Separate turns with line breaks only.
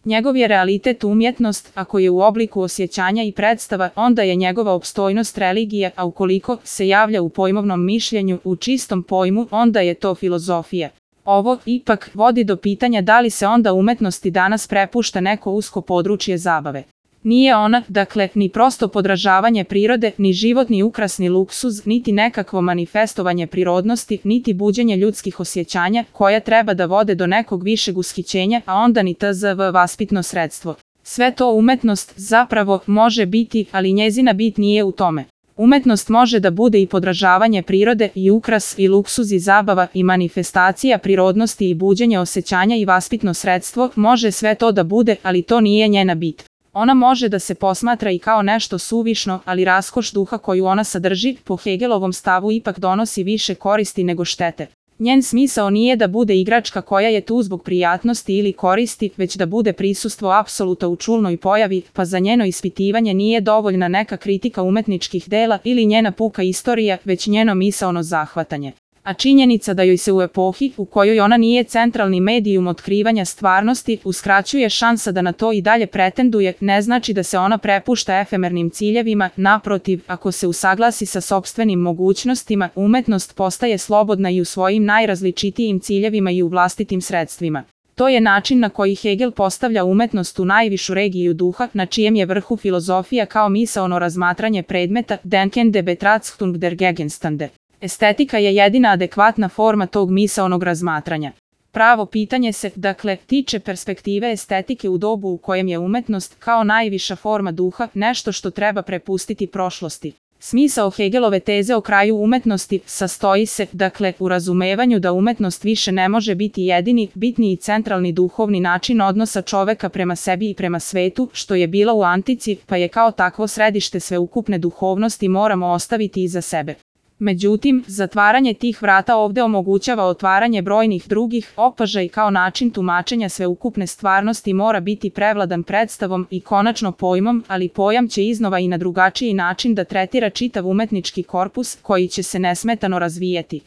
Njegov je realitet umjetnost, ako je u obliku osjećanja i predstava, onda je njegova opstojnost religija, a ukoliko se javlja u pojmovnom mišljenju, u čistom pojmu, onda je to filozofija. Ovo, ipak, vodi do pitanja da li se onda umetnosti danas prepušta neko usko područje zabave. Nije ona, dakle, ni prosto podražavanje prirode, ni životni ukrasni luksuz, niti nekakvo manifestovanje prirodnosti, niti buđenje ljudskih osjećanja, koja treba da vode do nekog višeg ushićenja, a onda ni tzv. Vaspitno sredstvo. Sve to umetnost, zapravo, može biti, ali njezina bit nije u tome. Umetnost može da bude i podražavanje prirode, i ukras, i luksuz, i zabava, i manifestacija prirodnosti, i buđenje osjećanja, i vaspitno sredstvo, može sve to da bude, ali to nije njena bit. Ona može da se posmatra i kao nešto suvišno, ali raskoš duha koju ona sadrži, po Hegelovom stavu ipak donosi više koristi nego štete. Njen smisao nije da bude igračka koja je tu zbog prijatnosti ili koristi, već da bude prisustvo apsoluta u čulnoj pojavi, pa za njeno ispitivanje nije dovoljna neka kritika umetničkih dela ili njena puka istorija, već njeno misaono zahvatanje. A činjenica da joj se u epohi, u kojoj ona nije centralni medijum otkrivanja stvarnosti, uskraćuje šansa da na to i dalje pretenduje, ne znači da se ona prepušta efemernim ciljevima, naprotiv, ako se usaglasi sa sopstvenim mogućnostima, umetnost postaje slobodna i u svojim najrazličitijim ciljevima i u vlastitim sredstvima. To je način na koji Hegel postavlja umetnost u najvišu regiju duha, na čijem je vrhu filozofija kao misaono razmatranje predmeta, Denken der Betrachtung der Gegenstände. Estetika je jedina adekvatna forma tog misaonog razmatranja. Pravo pitanje se, dakle, tiče perspektive estetike u dobu u kojem je umetnost, kao najviša forma duha, nešto što treba prepustiti prošlosti. Smisao Hegelove teze o kraju umetnosti sastoji se, dakle, u razumevanju da umetnost više ne može biti jedini, bitni i centralni duhovni način odnosa čoveka prema sebi i prema svetu, što je bilo u antici, pa je kao takvo središte sveukupne duhovnosti moramo ostaviti iza sebe. Međutim, zatvaranje tih vrata ovdje omogućava otvaranje brojnih drugih opaža i kao način tumačenja sveukupne stvarnosti mora biti prevladan predstavom i konačno pojmom, ali pojam će iznova i na drugačiji način da tretira čitav umetnički korpus koji će se nesmetano razvijati.